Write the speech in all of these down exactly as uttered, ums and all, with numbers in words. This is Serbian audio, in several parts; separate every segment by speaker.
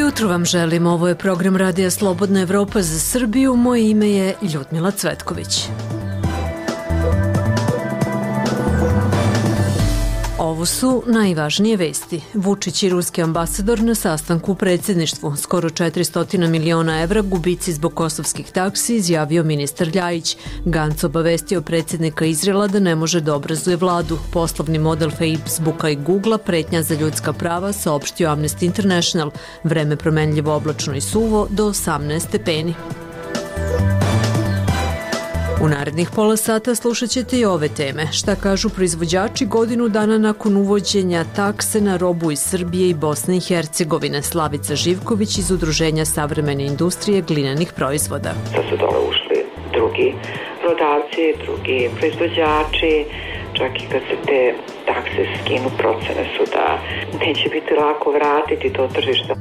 Speaker 1: jutro vam želim, ovo je program Radija Slobodna Evropa za Srbiju, moje ime je Ljudmila Cvetković. Ovo su najvažnije vesti. Vučić i ruski ambasador na sastanku u predsjedništvu. Skoro četiristo miliona evra gubici zbog kosovskih taksi, izjavio ministar Ljajić. Gantz obavestio predsjednika Izraela da ne može da obrazuje vladu. Poslovni model Facebooka i Googlea, pretnja za ljudska prava, saopštio Amnesty International. Vreme promenljivo, oblačno i suvo do osamnaest stepeni. U narednih pola sata slušat ćete i ove teme. Šta kažu proizvođači godinu dana nakon uvođenja takse na robu iz Srbije i Bosne i Hercegovine? Slavica Živković iz Udruženja savremene industrije glinenih proizvoda.
Speaker 2: Da su dole ušli drugi prodavci, drugi proizvođači, čak i kad se te takse skinu, procene su da neće biti lako vratiti to tržište.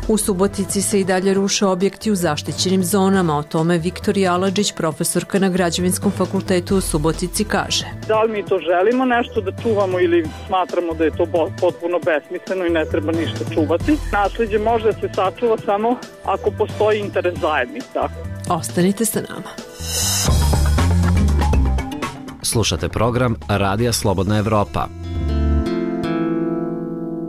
Speaker 1: U Subotici se i dalje ruše objekti u zaštićenim zonama. O tome Viktorija Aladžić, profesorka na Građevinskom fakultetu u Subotici, kaže.
Speaker 3: Da li mi to želimo nešto da čuvamo ili smatramo da je to potpuno besmisleno i ne treba ništa čuvati? Naslijeđe može da se sačuva samo ako postoji interes zajednica.
Speaker 1: Ostanite sa nama.
Speaker 4: Slušate program Radija Slobodna Evropa.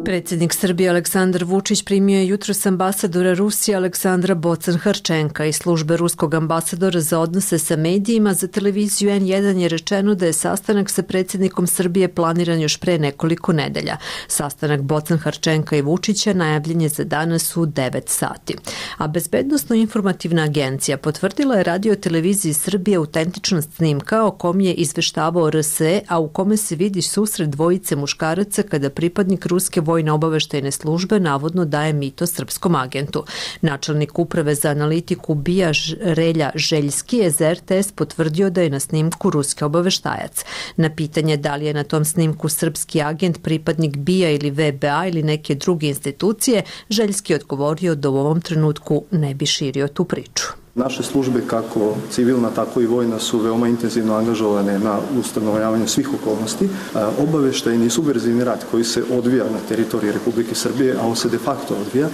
Speaker 1: Predsjednik Srbije Aleksandar Vučić primio je jutros ambasadora Rusije Aleksandra Bocan-Harčenka. Iz službe ruskog ambasadora za odnose sa medijima za televiziju en jedan je rečeno da je sastanak sa predsjednikom Srbije planiran još pre nekoliko nedelja. Sastanak Bocan-Harčenka i Vučića najavljen je za danas u devet sati. A Bezbednosno-informativna agencija potvrdila je radio televiziji Srbije autentičnost snimka o kom je izveštavao er es e, a u kome se vidi susret dvojice muškaraca kada pripadnik ruske vojne Vojno-obaveštajne službe navodno daje mito srpskom agentu. Načelnik uprave za analitiku BIA Relja Željski je za er te es potvrdio da je na snimku ruski obaveštajac. Na pitanje da li je na tom snimku srpski agent, pripadnik BIA ili ve be a ili neke druge institucije, Željski je odgovorio da u ovom trenutku ne bi širio tu priču.
Speaker 5: Naše službe, kako civilna, tako i vojna, su veoma intenzivno angažovane na ustanovljavanju svih okolnosti. Obaveštajni i subverzivni rat koji se odvija na teritoriji Republike Srbije, a on se de facto odvija,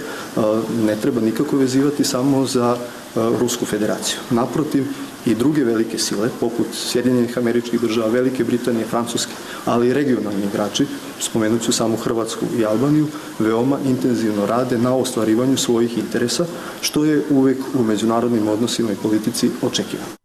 Speaker 5: ne treba nikako vezivati samo za Rusku federaciju. Naprotiv, i druge velike sile, poput Sjedinjenih Američkih Država, Velike Britanije, Francuske, ali i regionalni igrači, spomenut ću samo Hrvatsku i Albaniju, veoma intenzivno rade na ostvarivanju svojih interesa, što je uvek u međunarodnim odnosima i politici očekivano.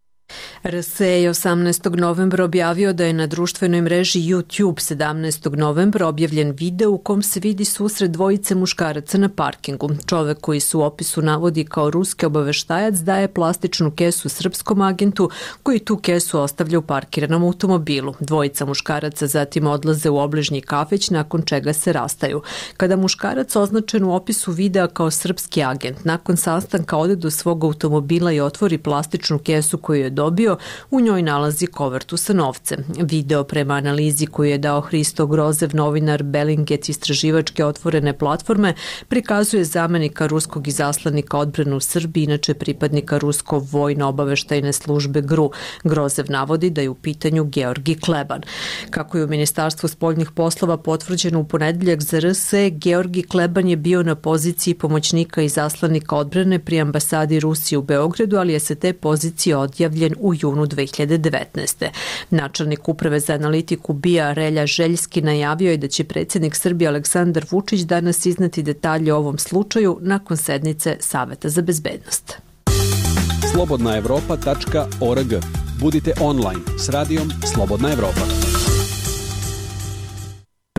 Speaker 1: er es e je osamnaestog novembra objavio da je na društvenoj mreži YouTube sedamnaestog novembra objavljen video u kom se vidi susret dvojice muškaraca na parkingu. Čovek koji se u opisu navodi kao ruski obaveštajac daje plastičnu kesu srpskom agentu koji tu kesu ostavlja u parkiranom automobilu. Dvojica muškaraca zatim odlaze u obližnji kafić nakon čega se rastaju. Kada muškarac označen u opisu videa kao srpski agent nakon sastanka ode do svog automobila i otvori plastičnu kesu koju je dobio, u njoj nalazi kovertu sa novcem. Video prema analizi koju je dao Hristo Grozev, novinar Bellingcat istraživačke otvorene platforme, prikazuje zamenika ruskog izaslanika odbrane u Srbiji, inače pripadnika rusko vojno-obaveštajne službe gru. Grozev navodi da je u pitanju Georgi Kleban. Kako je u Ministarstvu spoljnih poslova potvrđeno u ponedeljak za er es e, Georgi Kleban je bio na poziciji pomoćnika izaslanika odbrane pri ambasadi Rusije u Beogradu, ali je sa te pozicije odjavljen u junu dve hiljade devetnaeste. Načelnik uprave za analitiku BIA Relja Željski najavio je da će predsjednik Srbije Aleksandar Vučić danas izneti detalje o ovom slučaju nakon sednice Saveta za bezbednost.
Speaker 6: slobodna evropa tačka org. Budite online s radijom Slobodna Evropa.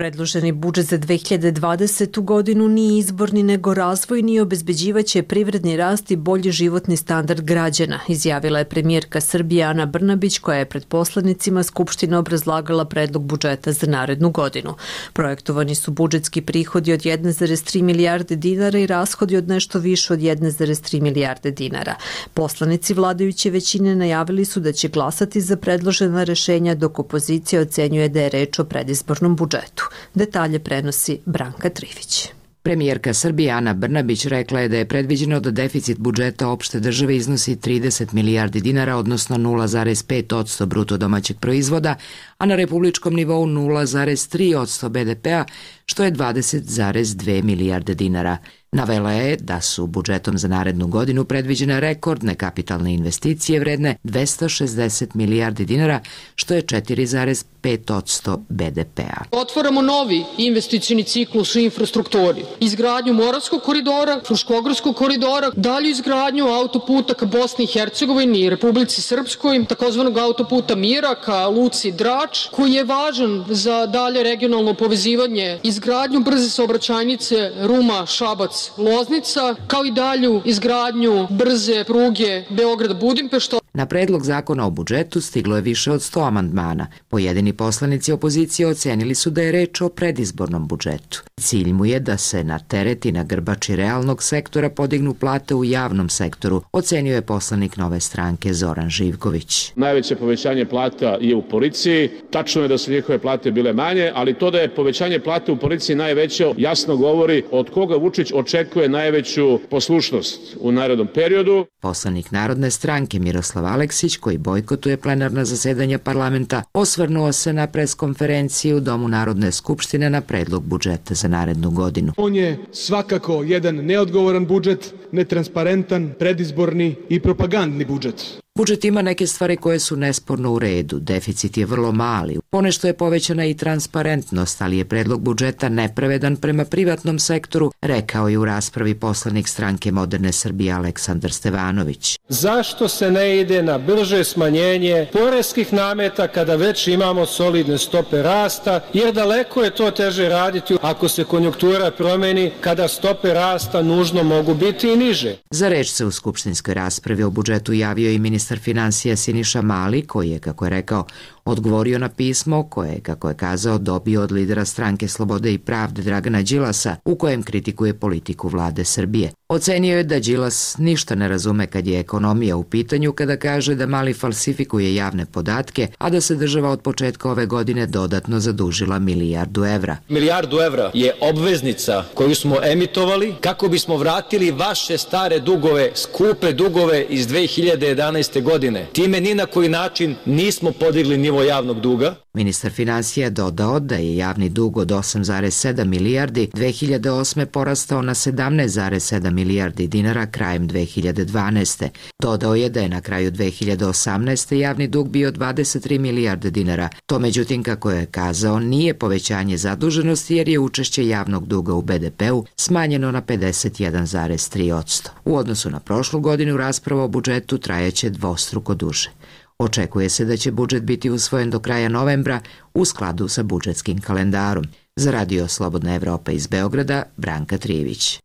Speaker 1: Predloženi budžet za dve hiljade dvadesetu godinu nije izborni nego razvojni i obezbeđivaće privredni rast i bolji životni standard građana, izjavila je premijerka Srbije Ana Brnabić koja je pred poslanicima Skupštine obrazlagala predlog budžeta za narednu godinu. Projektovani su budžetski prihodi od jedne zarez tri milijarde dinara i rashodi od nešto više od jedne zarez tri milijarde dinara. Poslanici vladajuće većine najavili su da će glasati za predložena rešenja, dok opozicija ocenjuje da je reč o predizbornom budžetu. Detalje prenosi Branka Trivić.
Speaker 7: Premijerka Srbije Ana Brnabić rekla je da je predviđeno da deficit budžeta opšte države iznosi trideset milijardi dinara, odnosno nula zarez pet posto bruto domaćeg proizvoda, a na republičkom nivou nula zarez tri posto be de pe a, što je dvadeset zarez dve milijarde dinara. Navela je da su budžetom za narednu godinu predviđene rekordne kapitalne investicije vredne dvesta šezdeset milijardi dinara, što je četiri zarez pet posto be de pea.
Speaker 8: Otvaramo novi investicioni ciklus u infrastrukturi, izgradnju Moravskog koridora, Fruškogorskog koridora, dalju izgradnju autoputa ka Bosni i Hercegovini i Republici Srpskoj, takozvanog autoputa Mira ka Luci Drač, koji je važan za dalje regionalno povezivanje, izgradnju brze saobraćajnice Ruma-Šabac Loznica, kao i dalju izgradnju brze pruge Beograd-Budimpešta.
Speaker 7: Na predlog zakona o budžetu stiglo je više od sto amandmana. Pojedini poslanici opozicije ocenili su da je reč o predizbornom budžetu. Cilj mu je da se na teret i na grbači realnog sektora podignu plate u javnom sektoru, ocenio je poslanik Nove stranke Zoran Živković.
Speaker 9: Najveće povećanje plata je u policiji. Tačno je da su njihove plate bile manje, ali to da je povećanje plate u policiji najveće jasno govori od koga Vučić očekuje najveću poslušnost u narednom periodu.
Speaker 7: Poslanik Narodne stranke Miroslav Aleksić, koji bojkotuje plenarna zasedanja parlamenta, osvrnuo se na preskonferenciju u Domu Narodne skupštine na predlog budžeta za narednu godinu.
Speaker 10: On je svakako jedan neodgovoran budžet, netransparentan, predizborni i propagandni budžet.
Speaker 7: Budžet ima neke stvari koje su nesporno u redu. Deficit je vrlo mali. Ponešto je povećana i transparentnost, ali je predlog budžeta nepravedan prema privatnom sektoru, rekao je u raspravi poslanik stranke Moderne Srbije Aleksandar Stevanović.
Speaker 11: Zašto se ne ide na brže smanjenje poreskih nameta kada već imamo solidne stope rasta, jer daleko je to teže raditi ako se konjunktura promeni, kada stope rasta nužno mogu biti i niže.
Speaker 7: Za reč se u skupštinskoj raspravi o budžetu javio i ministar finansija Siniša Mali, koji je, kako je rekao, odgovorio na pismo koje je, kako je kazao, dobio od lidera stranke Slobode i pravde Dragana Đilasa, u kojem kritikuje politiku vlade Srbije. Ocenio je da Đilas ništa ne razume kad je ekonomija u pitanju, kada kaže da Mali falsifikuje javne podatke, a da se država od početka ove godine dodatno zadužila milijardu evra.
Speaker 12: Milijardu evra je obveznica koju smo emitovali kako bismo vratili vaše stare dugove, skupe dugove iz dve hiljade jedanaeste godine. Time ni na koji način nismo podigli nivo javnog duga.
Speaker 7: Ministar finansija je dodao da je javni dug od osam zarez sedam milijardi dve hiljade osme porastao na sedamnaest zarez sedam milijardi dinara krajem dve hiljade dvanaeste. Dodao je da je na kraju dve hiljade osamnaeste javni dug bio dvadeset tri milijarde dinara. To međutim, kako je kazao, nije povećanje zaduženosti jer je učešće javnog duga u be de peu smanjeno na pedeset jedan zarez tri posto. U odnosu na prošlu godinu rasprava o budžetu trajaće dvostruko duže. Očekuje se da će budžet biti usvojen do kraja novembra u skladu sa budžetskim kalendarom. Za Radio Slobodna Evropa iz Beograda, Branka Trijević.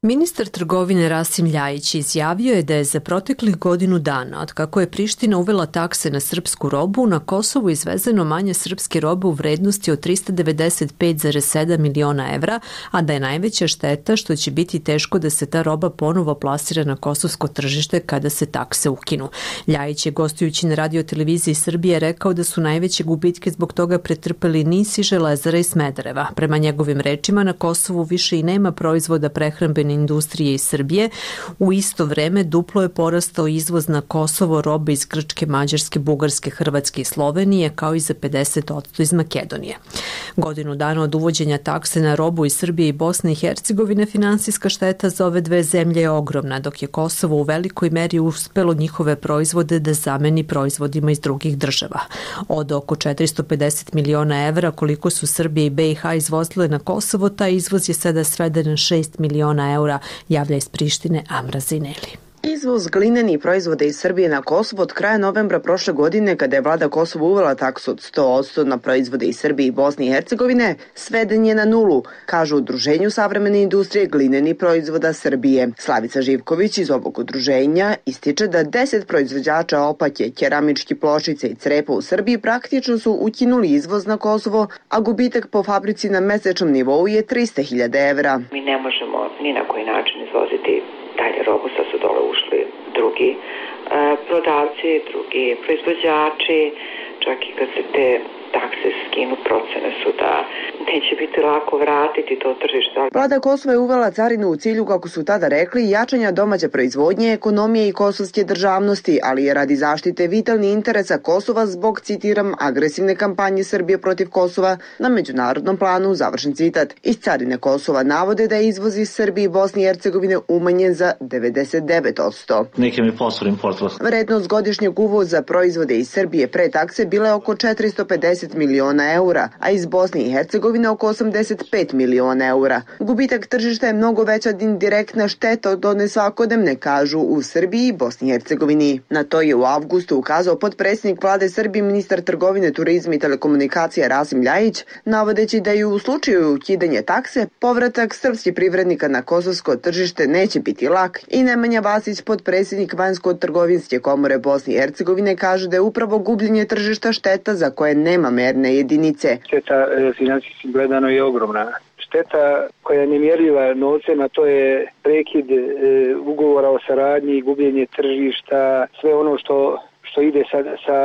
Speaker 1: Ministar trgovine Rasim Ljajić izjavio je da je za proteklih godinu dana, od kako je Priština uvela takse na srpsku robu, na Kosovu izvezeno manje srpske robe u vrednosti od trista devedeset pet zarez sedam miliona evra, a da je najveća šteta što će biti teško da se ta roba ponovo plasira na kosovsko tržište kada se takse ukinu. Ljajić je gostujući na radioteleviziji Srbije rekao da su najveće gubitke zbog toga pretrpeli Nis i Železara iz Smedereva. Prema njegovim rečima, na Kosovu više i nema proizvoda prehrambene industrije iz Srbije. U isto vreme duplo je porastao izvoz na Kosovo robe iz Grčke, Mađarske, Bugarske, Hrvatske i Slovenije, kao i za pedeset posto iz Makedonije. Godinu dana od uvođenja takse na robu iz Srbije i Bosne i Hercegovine, finansijska šteta za ove dve zemlje je ogromna, dok je Kosovo u velikoj meri uspelo njihove proizvode da zameni proizvodima iz drugih država. Od oko četiristo pedeset miliona evra koliko su Srbija i be i ha izvozile na Kosovo, taj izvoz je sada sveden na šest miliona evra, javlja iz Prištine Amra Zineli.
Speaker 13: Izvoz glinenih proizvoda iz Srbije na Kosovo od kraja novembra prošle godine, kada je vlada Kosova uvela taksu od sto posto na proizvode iz Srbije i Bosne i Hercegovine, sveden je na nulu, kažu u Udruženju savremene industrije glinenih proizvoda Srbije. Slavica Živković iz ovog udruženja ističe da deset proizvođača opake, keramički pločice i crepa u Srbiji praktično su ukinuli izvoz na Kosovo, a gubitak po fabrici na mesečnom nivou je trista hiljada evra.
Speaker 2: Mi ne možemo ni na koji način izvoziti dalje robu, sad su dole ušli drugi e, prodavci, drugi proizvođači, čak i kad se te takse skinu, procene su da neće biti lako vratiti to tržište.
Speaker 13: Vlada Kosova je uvela carinu u cilju, kako su tada rekli, jačanja domaće proizvodnje, ekonomije i kosovske državnosti, ali je radi zaštite vitalnih interesa Kosova zbog, citiram, agresivne kampanje Srbije protiv Kosova na međunarodnom planu, završen citat. Iz carine Kosova navode da je izvoz iz Srbije i Bosne i Hercegovine umanjen za devedeset devet posto. Vrednost godišnjeg uvoza proizvode iz Srbije pre takse bila je oko četiristo pedeset miliona eura, a iz Bosne i Hercegovine oko osamdeset pet miliona eura. Gubitak tržišta je mnogo veća indirektna šteta od one svakodnevne, kažu u Srbiji i Bosni i Hercegovini. Na to je u avgustu ukazao potpredsjednik vlade Srbije, ministar trgovine, turizma i telekomunikacija Rasim Ljajić, navodeći da i u slučaju ukidanja takse, povratak srpskih privrednika na kosovsko tržište neće biti lak i Nemanja Vasić, potpredsjednik Vanjsko-trgovinske komore Bosne i Hercegovine, kaže da je upravo gubljenje tržišta šteta za koje nema merne jedinice.
Speaker 14: Šteta financijski gledano je ogromna. Šteta koja je nemjerljiva novcem, a to je prekid e, ugovora o saradnji, gubljenje tržišta, sve ono što što ide sa, sa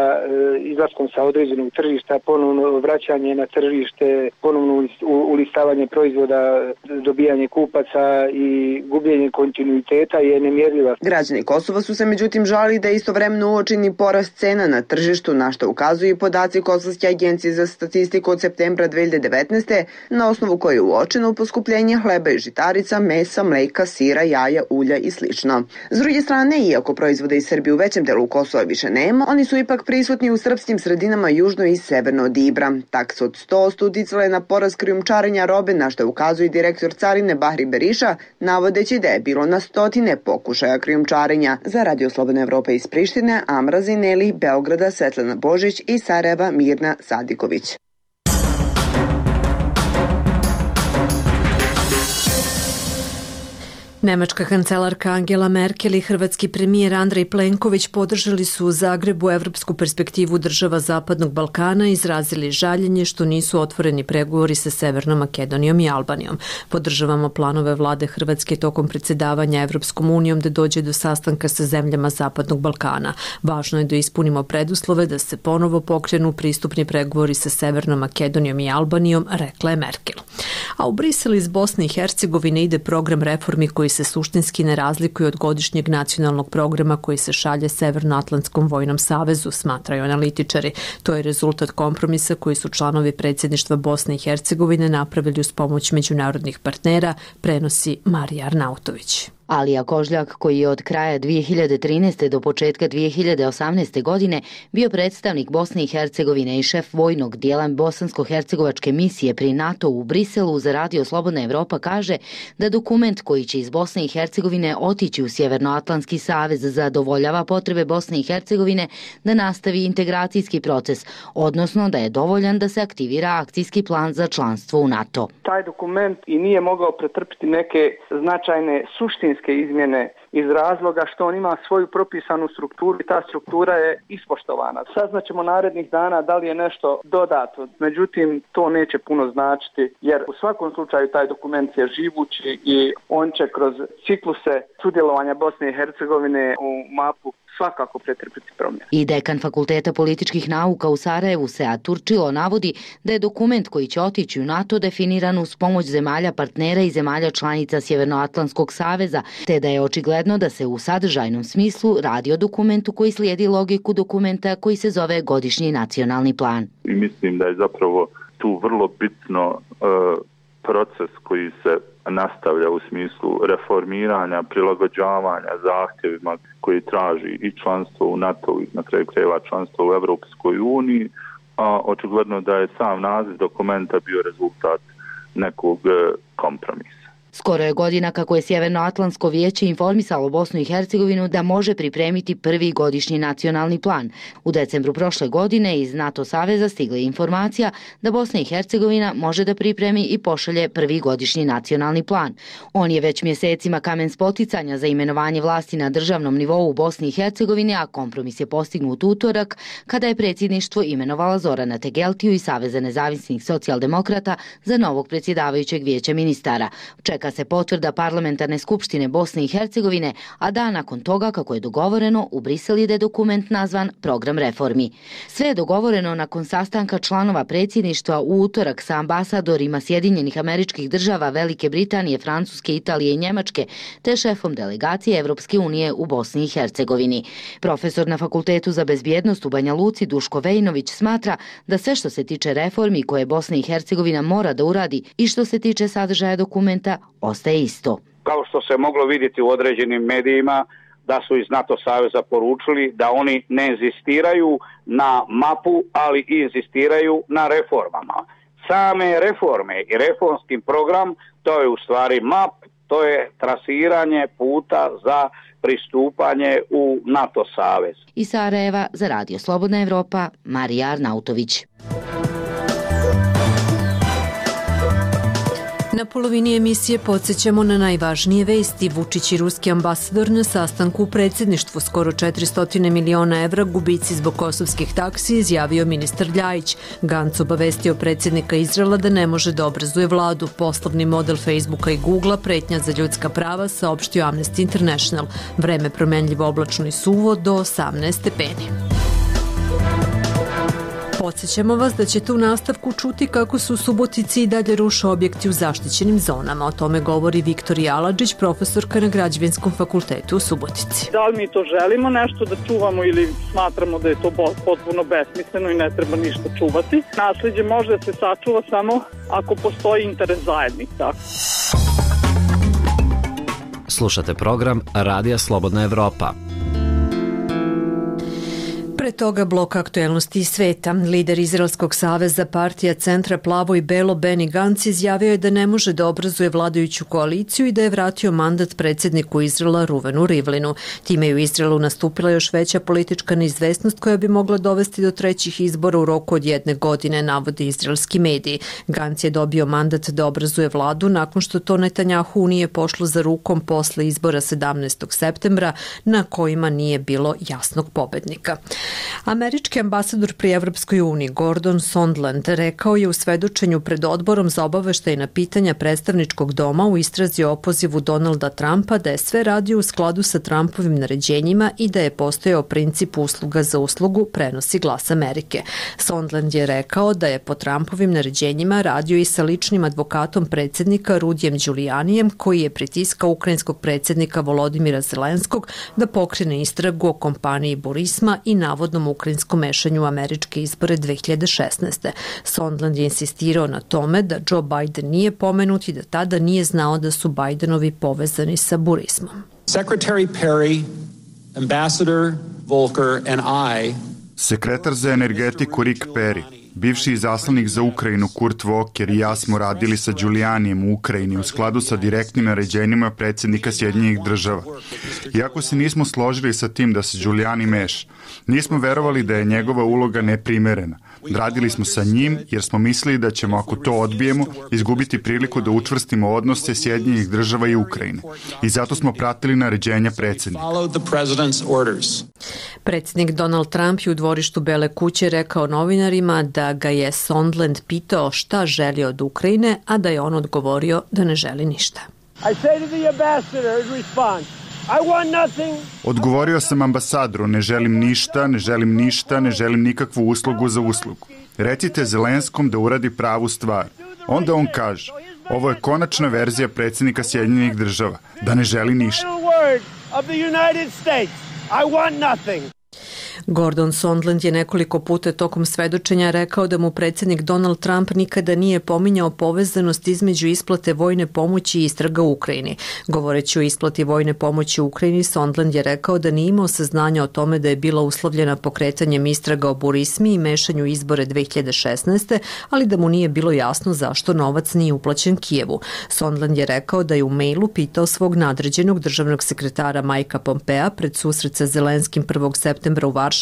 Speaker 14: izlaskom sa određenog tržišta, ponovno vraćanje na tržište, ponovno ulistavanje proizvoda, dobijanje kupaca i gubljenje kontinuiteta je nemjerljiva.
Speaker 13: Građani Kosova su se međutim žalili da je istovremeno uočeni porast cena na tržištu, na što ukazuju i podaci Kosovske agencije za statistiku od septembra dve hiljade devetnaeste. na osnovu koje je uočeno poskupljenje hleba i žitarica, mesa, mleka, sira, jaja, ulja i slično. S druge strane, iako proizvode iz Srbije u većem delu Kosova više nema, oni su ipak prisutni u srpskim sredinama južno i severno od Ibra. Taksa od sto posto uticala je na porast krijumčarenja robe, na što ukazuje direktor carine Bahri Beriša, navodeći da je bilo na stotine pokušaja krijumčarenja. Za Radio Slobodna Evropa iz Prištine, Amra Zineli, Beograda, Svetlana Božić i Sarajeva, Mirna Sadiković.
Speaker 1: Nemačka kancelarka Angela Merkel i hrvatski premijer Andrej Plenković podržali su u Zagrebu evropsku perspektivu država Zapadnog Balkana i izrazili žaljenje što nisu otvoreni pregovori sa Severnom Makedonijom i Albanijom. Podržavamo planove vlade Hrvatske tokom predsjedavanja Evropskom unijom da dođe do sastanka sa zemljama Zapadnog Balkana. Važno je da ispunimo preduslove da se ponovo pokrenu pristupni pregovori sa Severnom Makedonijom i Albanijom, rekla je Merkel. A u Briselu iz Bosne i Hercegovine ide program reformi koji se suštinski ne razlikuje od godišnjeg nacionalnog programa koji se šalje Severnoatlantskom vojnom savezu, smatraju analitičari. To je rezultat kompromisa koji su članovi predsjedništva Bosne i Hercegovine napravili uz pomoć međunarodnih partnera, prenosi Marija Arnautović.
Speaker 15: Alija Kožljak, koji je od kraja dvije hiljade trinaeste. do početka dvije hiljade osamnaeste. godine bio predstavnik Bosne i Hercegovine i šef vojnog dijela bosansko-hercegovačke misije pri NATO u Briselu, za Radio Slobodna Evropa kaže da dokument koji će iz Bosne i Hercegovine otići u Sjevernoatlantski savez zadovoljava potrebe Bosne i Hercegovine da nastavi integracijski proces, odnosno da je dovoljan da se aktivira akcijski plan za članstvo u NATO.
Speaker 14: Taj dokument i nije mogao pretrpiti neke značajne suštinske izmjene iz razloga što on ima svoju propisanu strukturu i ta struktura je ispoštovana. Saznaćemo narednih dana da li je nešto dodato, međutim to neće puno značiti jer u svakom slučaju taj dokument je živući i on će kroz cikluse sudjelovanja Bosne i Hercegovine u mapu svakako pretrpiti promjene.
Speaker 15: I dekan Fakulteta političkih nauka u Sarajevu, Sead Turčilo, navodi da je dokument koji će otići u NATO definiran uz pomoć zemalja partnera i zemalja članica Sjevernoatlantskog saveza, te da je očigledno da se u sadržajnom smislu radi o dokumentu koji slijedi logiku dokumenta koji se zove Godišnji nacionalni plan.
Speaker 16: I mislim da je zapravo tu vrlo bitno uh, proces koji se nastavlja u smislu reformiranja, prilagođavanja zahtjevima koji traži i članstvo u NATO i na kraju krajeva članstvo u Evropskoj uniji, a očigledno da je sam naziv dokumenta bio rezultat nekog kompromisa.
Speaker 15: Skoro je godina kako je Sjevernoatlantsko vijeće informisalo Bosnu i Hercegovinu da može pripremiti prvi godišnji nacionalni plan. U decembru prošle godine iz NATO saveza stigla je informacija da Bosna i Hercegovina može da pripremi i pošalje prvi godišnji nacionalni plan. On je već mjesecima kamen spoticanja za imenovanje vlasti na državnom nivou u Bosni i Hercegovini, a kompromis je postignut utorak kada je predsjedništvo imenovala Zorana Tegeltiju iz Saveza nezavisnih socijaldemokrata za novog predsjedavajućeg vijeća ministara. čeka se potvrda Parlamentarne skupštine Bosne i Hercegovine, a dan nakon toga, kako je dogovoreno, u Brisel ide dokument nazvan Program reformi. Sve je dogovoreno nakon sastanka članova predsjedništva u utorak sa ambasadorima Sjedinjenih Američkih Država, Velike Britanije, Francuske, Italije i Njemačke, te šefom delegacije Evropske unije u Bosni i Hercegovini. Profesor na Fakultetu za bezbjednost u Banja Luci Duško Vejnović smatra da sve što se tiče reformi koje Bosna i Hercegovina mora da uradi i što se tiče sadržaja dokumenta ostaje isto.
Speaker 17: Kao što se moglo vidjeti u određenim medijima, da su iz NATO saveza poručili da oni ne inzistiraju na mapu, ali i inzistiraju na reformama. Same reforme i reformski program, to je u stvari map, to je trasiranje puta za pristupanje u NATO savez.
Speaker 15: Iz Sarajeva za Radio Slobodna Evropa, Marija Arnautović.
Speaker 1: Na polovini emisije podsjećamo na najvažnije vesti. Vučić i ruski ambasador na sastanku u predsjedništvu, skoro četiristo miliona evra gubici zbog kosovskih taksi, izjavio ministar Ljajić. Gantz obavestio predsjednika Izraela da ne može da obrazuje vladu. Poslovni model Facebooka i Googlea, pretnja za ljudska prava, saopštio Amnesty International. Vreme promenljivo, oblačno i suvo do osamnaest stepeni. Podsjećamo vas da ćete u nastavku čuti kako su u Subotici i dalje ruše objekti u zaštićenim zonama. O tome govori Viktorija Aladžić, profesorka na Građevinskom fakultetu u Subotici.
Speaker 3: Da li mi to želimo nešto da čuvamo ili smatramo da je to potpuno besmisleno i ne treba ništa čuvati? Naslijeđe može da se sačuva samo ako postoji interes zajednica.
Speaker 4: Slušate program Radija Slobodna Evropa.
Speaker 1: Pre toga blok aktuelnosti iz sveta. Lider Izraelskog saveza partija Centra Plavo i Belo Benny Gantz izjavio je da ne može da obrazuje vladajuću koaliciju i da je vratio mandat predsjedniku Izraela Ruvenu Rivlinu. Time je u Izraelu nastupila još veća politička neizvesnost koja bi mogla dovesti do trećih izbora u roku od jedne godine, navode izraelski mediji. Gantz je dobio mandat da obrazuje vladu nakon što to Netanjahu nije pošlo za rukom posle izbora sedamnaestog septembra na kojima nije bilo jasnog pobednika. Američki ambasador pri Evropskoj uniji Gordon Sondland rekao je u svedočenju pred odborom za obaveštajna pitanja predstavničkog doma u istrazi o opozivu Donalda Trumpa da je sve radio u skladu sa Trumpovim naređenjima i da je postojao princip usluga za uslugu, prenosi Glas Amerike. Sondland je rekao da je po Trumpovim naređenjima radio i sa ličnim advokatom predsjednika Rudijem Đulijanijem, koji je pritiskao ukrajinskog predsjednika Volodimira Zelenskog da pokrene istragu o kompaniji Burisma i navodnom ukrajinskom mešanju u američke izbore dve hiljade šesnaeste. Sondland je insistirao na tome da Joe Biden nije pomenut i da tada nije znao da su Bidenovi povezani sa Burismom.
Speaker 18: Secretary Perry, Ambassador Volker and I
Speaker 19: Sekretar za energetiku Rick Perry, bivši izaslanik za Ukrajinu Kurt Volker i ja smo radili sa Đulijanijem u Ukrajini u skladu sa direktnim naređenjima predsjednika Sjedinjenih država. Iako se nismo složili sa tim da se Đulijani meša, nismo verovali da je njegova uloga neprimerena. Radili smo sa njim jer smo mislili da ćemo, ako to odbijemo, izgubiti priliku da učvrstimo odnose Sjedinjenih država i Ukrajine. I zato smo pratili naređenja predsjednika.
Speaker 1: Predsjednik Donald Trump je u dvorištu Bele kuće rekao novinarima da ga je Sondland pitao šta želi od Ukrajine, a da je on odgovorio da ne želi ništa.
Speaker 19: Odgovorio sam ambasadoru, ne želim ništa, ne želim ništa, ne želim nikakvu uslugu za uslugu. Recite Zelenskom da uradi pravu stvar. Onda on kaže, ovo je konačna verzija predsjednika Sjedinjenih država, da ne želi ništa.
Speaker 1: Gordon Sondland je nekoliko puta tokom svedočenja rekao da mu predsjednik Donald Trump nikada nije pominjao povezanost između isplate vojne pomoći i istraga u Ukrajini. Govoreći o isplati vojne pomoći u Ukrajini, Sondland je rekao da nije imao saznanja o tome da je bila uslovljena pokretanjem istraga o Burismi i mešanju izbore dve hiljade šesnaeste, ali da mu nije bilo jasno zašto novac nije uplaćen Kijevu. Sondland je rekao da je u mailu pitao svog nadređenog državnog sekretara Majka Pompea pred susret sa Zelenskim prvog septembra u Varšavi,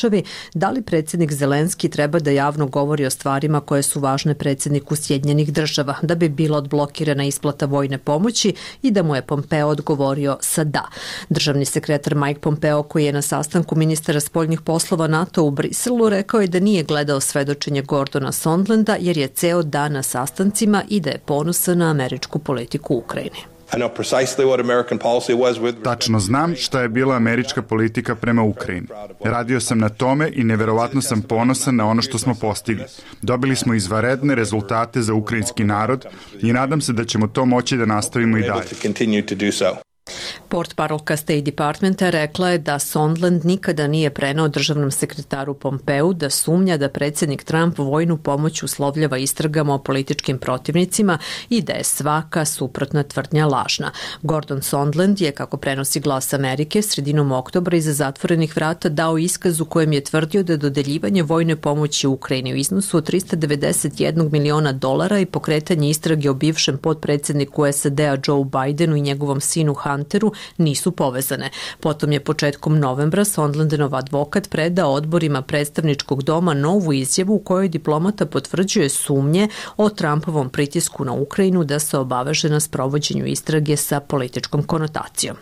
Speaker 1: da li predsjednik Zelenski treba da javno govori o stvarima koje su važne predsjedniku Sjedinjenih država, da bi bila odblokirana isplata vojne pomoći i da mu je Pompeo odgovorio sa da. Državni sekretar Mike Pompeo, koji je na sastanku ministara spoljnih poslova NATO u Briselu, rekao je da nije gledao svedočenje Gordona Sondlanda jer je ceo dan na sastancima i da je ponosan na američku politiku u Ukrajini.
Speaker 19: Tačno znam šta je bila američka politika prema Ukrajini. Radio sam na tome i neverovatno sam ponosan na ono što smo postigli. Dobili smo izvanredne rezultate za ukrajinski narod i nadam se da ćemo to moći da nastavimo i dalje.
Speaker 1: Portparolka State Departmenta rekla je da Sondland nikada nije preneo državnom sekretaru Pompeu da sumnja da predsjednik Trump vojnu pomoć uslovljava istragama o političkim protivnicima i da je svaka suprotna tvrdnja lažna. Gordon Sondland je, kako prenosi Glas Amerike, sredinom oktobra iza zatvorenih vrata dao iskaz u kojem je tvrdio da dodeljivanje vojne pomoći Ukrajini u iznosu od trista devedeset jedan miliona dolara i pokretanje istrage o bivšem potpredsjedniku S A D-a Joe Bidenu i njegovom sinu Hunteru nisu povezane. Potom je početkom novembra Sondlandov advokat predao odborima predstavničkog doma novu izjavu u kojoj diplomata potvrđuje sumnje o Trumpovom pritisku na Ukrajinu da se obaveže na sprovođenju istrage sa političkom konotacijom.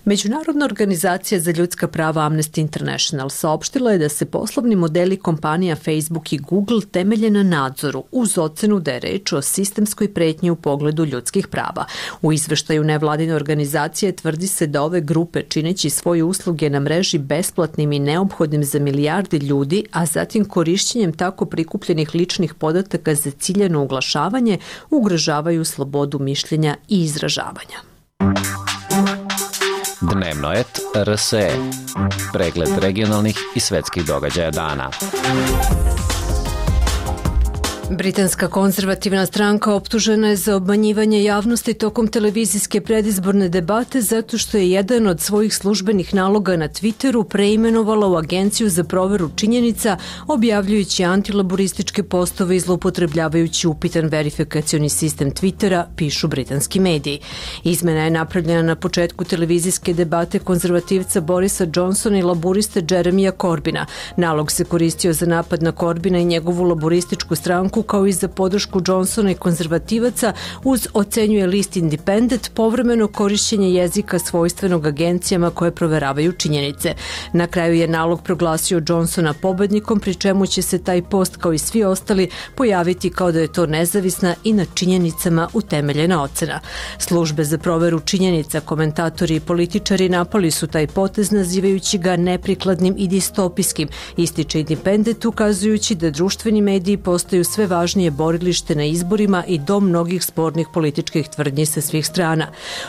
Speaker 1: Međunarodna organizacija za ljudska prava Amnesty International saopštila je da se poslovni modeli kompanija Facebook i Google temelje na nadzoru uz ocenu da je reč o sistemskoj pretnji u pogledu ljudskih prava. U izveštaju nevladine organizacije tvrdi se da ove grupe, čineći svoje usluge na mreži besplatnim i neophodnim za milijardi ljudi, a zatim korišćenjem tako prikupljenih ličnih podataka za ciljano uglašavanje, ugrožavaju slobodu mišljenja i izražavanja.
Speaker 4: Dnevno et R S E. Pregled regionalnih i svetskih događaja dana.
Speaker 1: Britanska konzervativna stranka optužena je za obmanjivanje javnosti tokom televizijske predizborne debate zato što je jedan od svojih službenih naloga na Twitteru preimenovala u Agenciju za proveru činjenica, objavljujući antilaborističke postove i zloupotrebljavajući upitan verifikacioni sistem Twittera, pišu britanski mediji. Izmena je napravljena na početku televizijske debate konzervativca Borisa Johnsona i laburiste Jeremija Corbina. Nalog se koristio za napad na Corbina i njegovu laborističku stranku, kao i za podršku Johnsona i konzervativaca, uz, ocenjuje list Independent, povremeno korišćenje jezika svojstvenog agencijama koje proveravaju činjenice. Na kraju je nalog proglasio Johnsona pobednikom, pri čemu će se taj post, kao i svi ostali, pojaviti kao da je to nezavisna i na činjenicama utemeljena ocena. Službe za proveru činjenica, komentatori i političari napali su taj potez, nazivajući ga neprikladnim i distopijskim, ističe Independent, ukazujući da društveni mediji postaju sve važnije borilište na izborima i dom mnogih spornih političkih tvrdnji sa svih strana.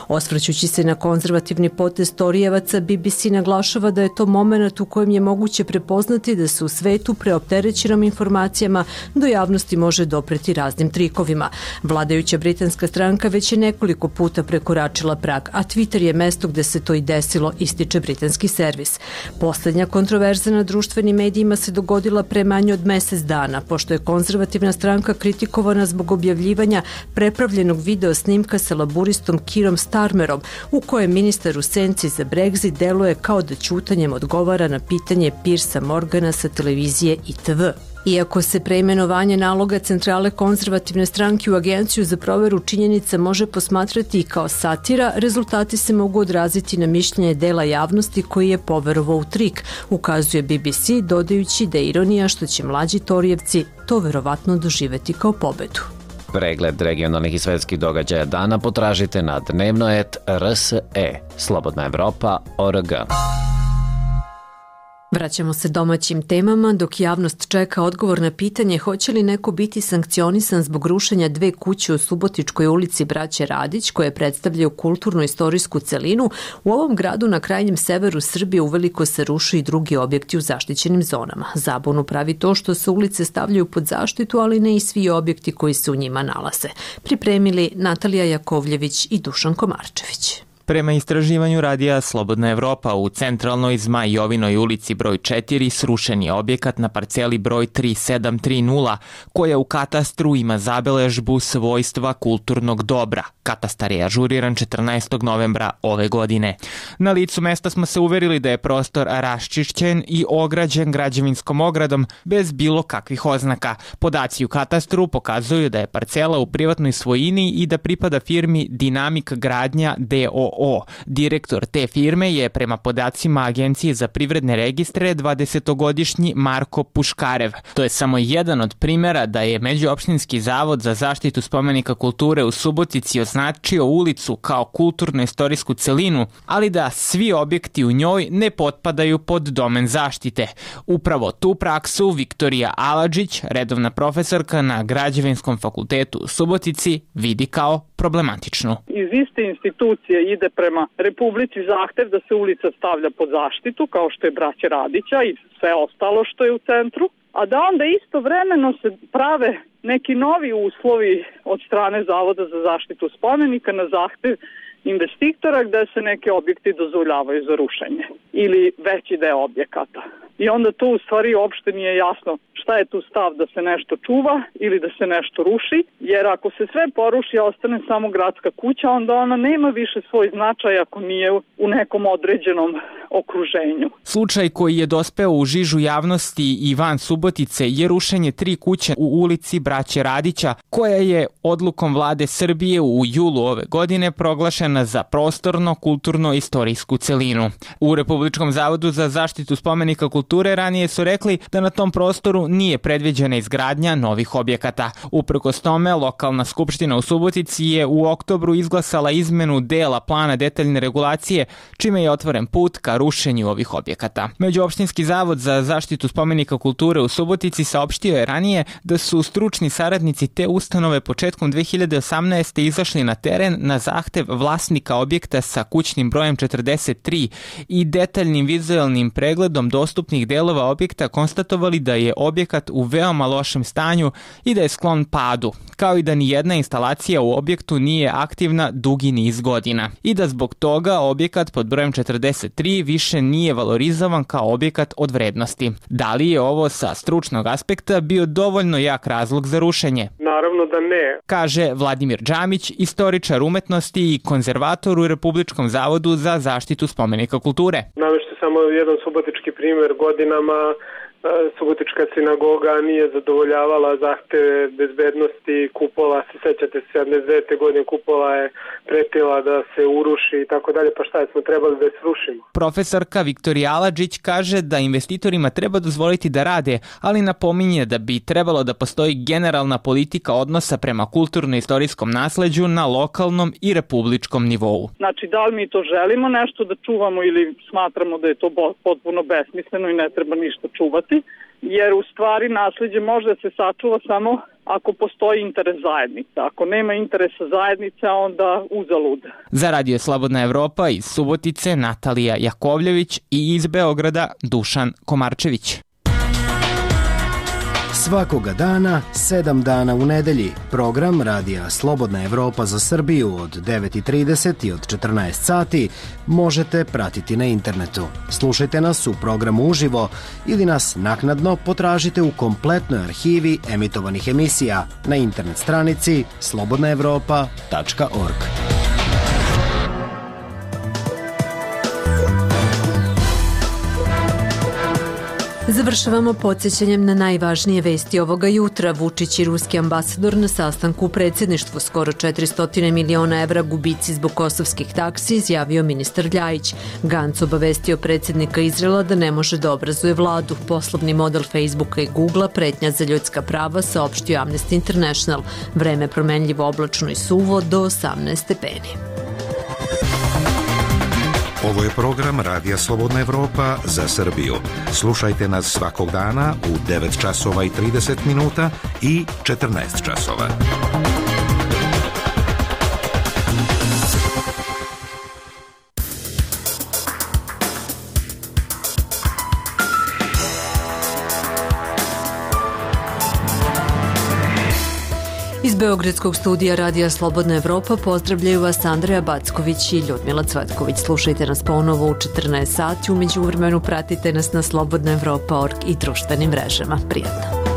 Speaker 1: Osvrćući se na konzervativni potez Torijevaca, B B C naglašava da je to moment u kojem je moguće prepoznati da se u svetu preopterećenom informacijama do javnosti može dopreti raznim trikovima. Vladajuća britanska stranka već je nekoliko puta prekoračila prag, a Twitter je mesto gde se to i desilo, ističe britanski servis. Poslednja kontroverza na društvenim medijima se dogodila pre manje od mesec dana, pošto je konzervativna stranka kritikovana zbog objavljivanja prepravljenog video snimka sa laburistom Keerom Starmerom, u kojem ministar u senci za Brexit deluje kao da ćutanjem odgovara na pitanje Piersa Morgana sa televizije I T V. Iako se preimenovanje naloga centrale konzervativne stranke u Agenciju za proveru činjenica može posmatrati i kao satira, rezultati se mogu odraziti na mišljenje dela javnosti koji je poverovao u trik, ukazuje B B C, dodajući da je ironija što će mlađi Torijevci to verovatno doživeti kao pobedu.
Speaker 4: Pregled regionalnih i svetskih događaja dana potražite na dnevno et R S E. Slobodna Evropa, O R G.
Speaker 1: Vraćamo se domaćim temama, dok javnost čeka odgovor na pitanje hoće li neko biti sankcionisan zbog rušenja dve kuće u Subotičkoj ulici Braće Radić, koje predstavljaju kulturno-istorijsku celinu. U ovom gradu na krajnjem severu Srbije uveliko se rušu i drugi objekti u zaštićenim zonama. Zabunu pravi to što se ulice stavljaju pod zaštitu, ali ne i svi objekti koji se u njima nalaze. Pripremili Natalija Jakovljević i Dušan Komarčević.
Speaker 20: Prema istraživanju radija Slobodna Evropa, u centralnoj Zmaj Jovinoj ulici broj četiri srušen je objekat na parceli broj tri sedam tri nula, koja u katastru ima zabeležbu svojstva kulturnog dobra. Katastar je ažuriran četrnaestog novembra ove godine. Na licu mesta smo se uverili da je prostor raščišćen i ograđen građevinskom ogradom bez bilo kakvih oznaka. Podaci u katastru pokazuju da je parcela u privatnoj svojini i da pripada firmi Dinamik gradnja D O o. Direktor te firme je prema podacima Agencije za privredne registre dvadesetogodišnji Marko Puškarev. To je samo jedan od primjera da je Međuopštinski zavod za zaštitu spomenika kulture u Subotici označio ulicu kao kulturno-istorijsku celinu, ali da svi objekti u njoj ne potpadaju pod domen zaštite. Upravo tu praksu Viktorija Aladžić, redovna profesorka na Građevinskom fakultetu u Subotici, vidi kao problematičnu.
Speaker 3: Iz iste institucije ide prema Republici zahtev da se ulica stavlja pod zaštitu, kao što je Braće Radića i sve ostalo što je u centru, a da onda istovremeno se prave neki novi uslovi od strane Zavoda za zaštitu spomenika na zahtev investitora gde se neke objekti dozvoljavaju za rušenje ili veći deo objekata. I onda to u stvari uopšte nije jasno šta je tu stav da se nešto čuva ili da se nešto ruši, jer ako se sve poruši, a ostane samo gradska kuća, onda ona nema više svoj značaj ako nije u nekom određenom okruženju.
Speaker 20: Slučaj koji je dospeo u žižu javnosti i van Subotice je rušenje tri kuće u ulici Braće Radića, koja je odlukom vlade Srbije u julu ove godine proglašena za prostorno, kulturno, istorijsku celinu. U Republičkom zavodu za zaštitu spomenika kulture ranije su rekli da na tom prostoru nije predviđena izgradnja novih objekata. Uprkos tome, lokalna skupština u Subotici je u oktobru izglasala izmenu dela plana detaljne regulacije, čime je otvoren put ka rušenju ovih objekata. Međuopštinski zavod za zaštitu spomenika kulture u Subotici saopštio je ranije da su stručni saradnici te ustanove početkom dve hiljade osamnaeste. izašli na teren na zahtev vlasnika objekta sa kućnim brojem četrdeset tri i detaljnim vizualnim pregledom dostupnih delova objekta konstatovali da je objekat u veoma lošem stanju i da je sklon padu, kao i da ni jedna instalacija u objektu nije aktivna dugi niz godina i da zbog toga objekat pod brojem četrdeset tri više nije valorizovan kao objekat od vrednosti. Da li je ovo sa stručnog aspekta bio dovoljno jak razlog za rušenje?
Speaker 21: Naravno da ne.
Speaker 20: Kaže Vladimir Džamić, istoričar umetnosti i konzervator u Republičkom zavodu za zaštitu spomenika kulture.
Speaker 21: Navešću samo jedan subotički primjer. Godinama Subotička sinagoga nije zadovoljavala zahteve bezbednosti kupola, se sećate se sedamdeset devete godine kupola je pretila da se uruši i tako dalje, pa šta je, smo trebali da je srušimo.
Speaker 20: Profesorka Viktorija Aladžić kaže da investitorima treba dozvoliti da rade, ali napominje da bi trebalo da postoji generalna politika odnosa prema kulturno-istorijskom nasleđu na lokalnom i republičkom nivou.
Speaker 3: Znači, da li mi to želimo nešto da čuvamo ili smatramo da je to potpuno besmisleno i ne treba ništa čuvati, jer u stvari nasleđe može da se sačuva samo ako postoji interes zajednice. Ako nema interesa zajednice, onda uzalud.
Speaker 20: Za Radio Slobodna Evropa iz Subotice Natalija Jakovljević i iz Beograda Dušan Komarčević.
Speaker 22: Svakoga dana, sedam dana u nedelji, program Radija Slobodna Evropa za Srbiju od devet i trideset i od četrnaest sati možete pratiti na internetu. Slušajte nas u programu uživo ili nas naknadno potražite u kompletnoj arhivi emitovanih emisija na internet stranici slobodna evropa tačka org.
Speaker 1: Završavamo podsjećanjem na najvažnije vesti ovoga jutra. Vučić i ruski ambasador na sastanku u predsjedništvu. Skoro četiristo miliona evra gubici zbog kosovskih taksi, izjavio ministar Ljajić. Gantz obavestio predsjednika Izraela da ne može da obrazuje vladu. Poslovni model Facebooka i Googlea pretnja za ljudska prava, saopštio Amnesty International. Vreme promenljivo, oblačno i suvo do osamnaest stepeni.
Speaker 23: Ovo je program Radija Slobodna Evropa za Srbiju. Slušajte nas svakog dana u devet časova i trideset minuta i četrnaest časova.
Speaker 1: Iz Beogradskog studija Radija Slobodna Evropa pozdravljaju vas Andreja Backović i Ljudmila Cvatković. Slušajte nas ponovo u četrnaest sati, u međuvremenu pratite nas na slobodna evropa tačka org i društvenim mrežama. Prijatno.